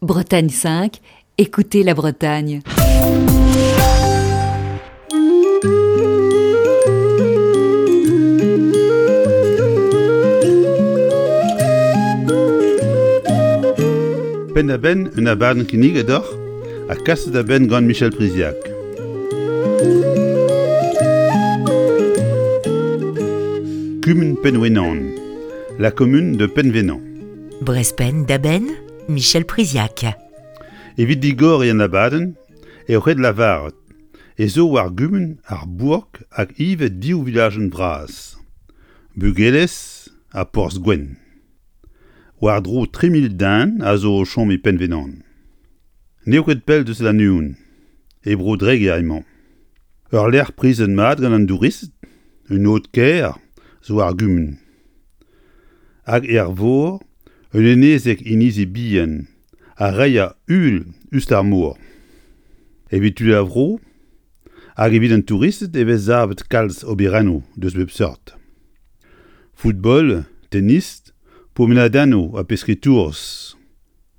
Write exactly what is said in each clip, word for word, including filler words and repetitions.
Bretagne cinq, écoutez la Bretagne. Penn-da-benn un abadenn kinniget deoc'h ha kaset da benn gant Michel Priziac. Kumun Penwenan, la commune de Penvénan. Brezpenn da benn, Michel Priziac. Evit digoriñ an abadenn eo ret lavaret ez eo war gumun ar bourk hag ivez div vilajenn vras, Bugelez ha Porzh-Gwenn. War-dro tri mil den a zo o chom e Penvénan. N'eo ket pell deus Lannuon, e Bro-Dreger emañ. Ur lec'h prizet mat gant an douristed, un aod kaer zo ar gumun. Hag er vor, un enezeg inizi bihan a reier uhel us d'ar mor. Evit tud ar vro hag evit an touristed e vez savet kalz oberennoù deus bep seurt. Football, tennis, pourmenadennoù ha pesketourz,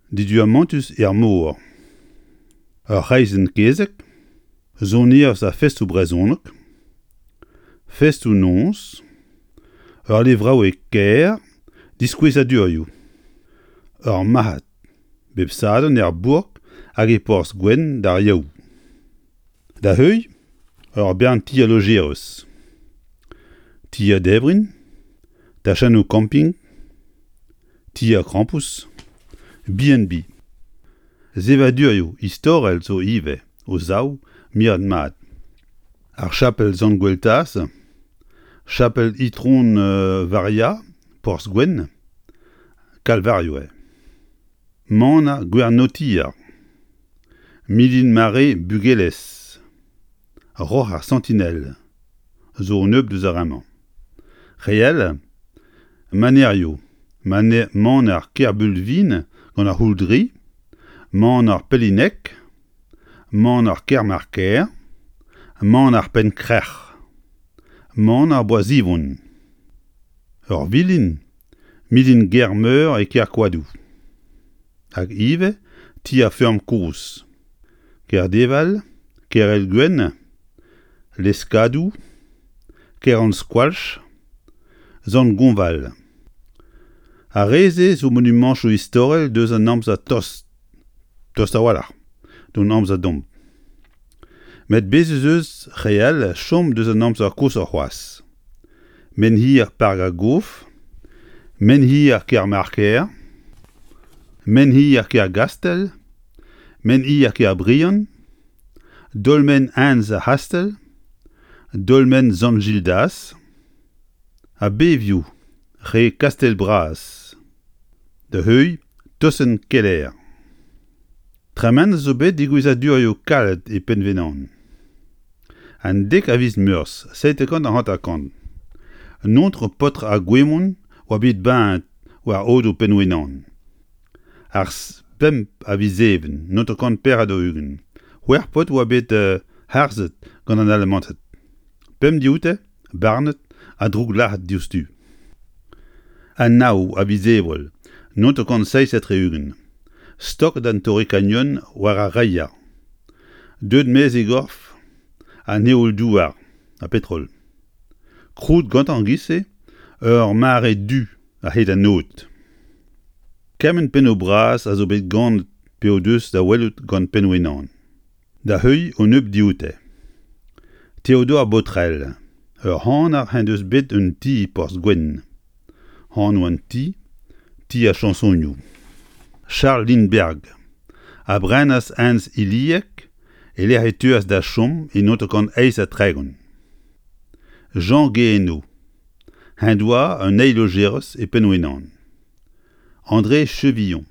diduamantus er mor. Ur c'hreizenn kezeg, sonerezh ha festoù brezhonek, festoù-noz, ur levraoueg kaer, diskouezadurioù. Ur marc'had, bep sadorn er bourk hag e Porzh-Gwenn d'ar Yaou. Da heuilh, ur bern tier lojerez. Tier debriñ, tachennoù camping, tier krampouezh, B and B. Sevadurioù istorel zo ivez o zaou miret mat. Ar chapel Sant-Gweltaz, chapel Itron Varia, Porzh-Gwenn, Kalvarioù eo. Maner Gwernotier, Milin Mare Bugelez, Roc'h ar Sentinelle, zo un nebeud deus ar re-mañ. Re all, Manerioù, Maner Kerbulvin gant ar C'houldri, Maner Pellineg, Maner Kermarker, Maner Penn-Krec'h, Maner Boazivon. Ur vilin, Milin Germeur e Kerkoadoù. Hag ivez ti ar feurm kozh. Kerdeval, Kerelgwenn, Leskadoù, Keranskoalch, Sant-Gonval. Ar re-se zo monumantoù istorel deus an amzer tost, tost a-walc'h, d'hon amzer domp. Met bez' ez eus re all chom deus an amzer koshoc'h c'hoazh. Menhir Park ar Gof, Menhir Kermarker, Menhir Kergastell, Menhir Kerbriant, Dolmen Hent ar C'hastell, Dolmen Sant-Gildas, ha bevioù re Kastell-Bras, da heuilh Tosenn Keller. Tremenet zo bet degouezhadurioù kalet e Penvénan. An dek a viz Meurzh seitek kant ha hanter-kant. Un eontr paotr ar Gouemon oa bet baet war aodoù Penwenan. Ar pemp a viz Even, naontek kant pevar ha daou-ugent. C'hwec'h paotr oa bet harzet gant an Alamanted. Pemp dioute, barnet ha drouglazhet diouzhtu. An nav a viz Ebrel, naontek kant seizh ha tri-ugent. Stoket an Torrikanyon war ar reier. Deuet maez e gorf an heol-douar ha petrol. Krouet gantañ giz-se ur mare du a-hed an aod. Kement pennoù bras a zo bet ganet pe o deus da welout gant Penwenan. Da heuilh un nebeud dioute. Théodore Botrel, ur c'haner en deus bet un ti e Porzh-Gwenn. Anv an ti, ti ar chañsonioù. Charles Lindbergh a brenas Hent Ilieg e-lec'h e teuas da chom e naontek kant eizh ha tregont. Jean Guéhenno, en doa un eil lojerez e Penwenan. André Chevillon,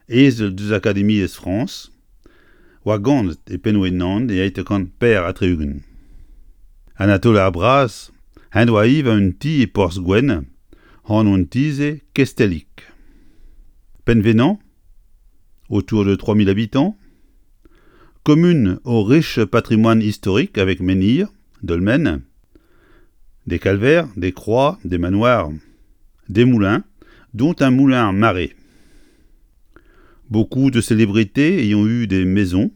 ezel deus Akademiezh Frañs, oa ganet e Penwenan e eizhtek kant pevar ha tri-ugent. Anatole ar Braz en doa ivez un ti e Porzh-Gwenn, anv an ti-se Kestellig. Penvénan, autour de trois mille habitants, commune au riche patrimoine historique avec menhirs, dolmens, des calvaires, des croix, des manoirs, des moulins, dont un moulin à marée. Beaucoup de célébrités y ont eu des maisons,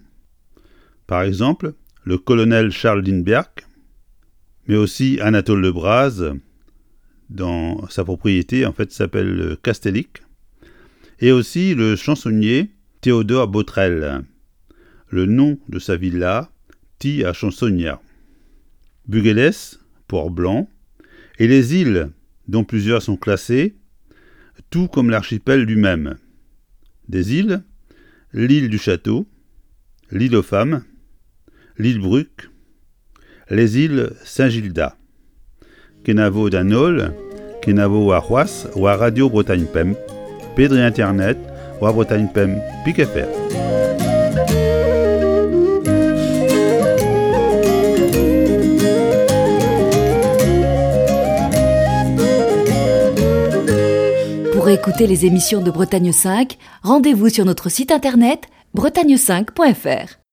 par exemple le colonel Charles Lindbergh, mais aussi Anatole Le Braz, dans sa propriété, en fait, s'appelle Castellic, et aussi le chansonnier Théodore Botrel. Le nom de sa villa, Ti à Chansonnière. Buguélès, Port-Blanc, et les îles, dont plusieurs sont classées, tout comme l'archipel lui-même. Des îles, l'île du Château, l'île aux Femmes, l'île Bruc, les îles Saint-Gildas. Kenavo d'an holl, kenavo war c'hoazh war Radio Bretagne Pemp, pe dre internet war Bretagne Pemp pik F R. Pour écouter les émissions de Bretagne cinq, rendez-vous sur notre site internet bretagne cinq point F R.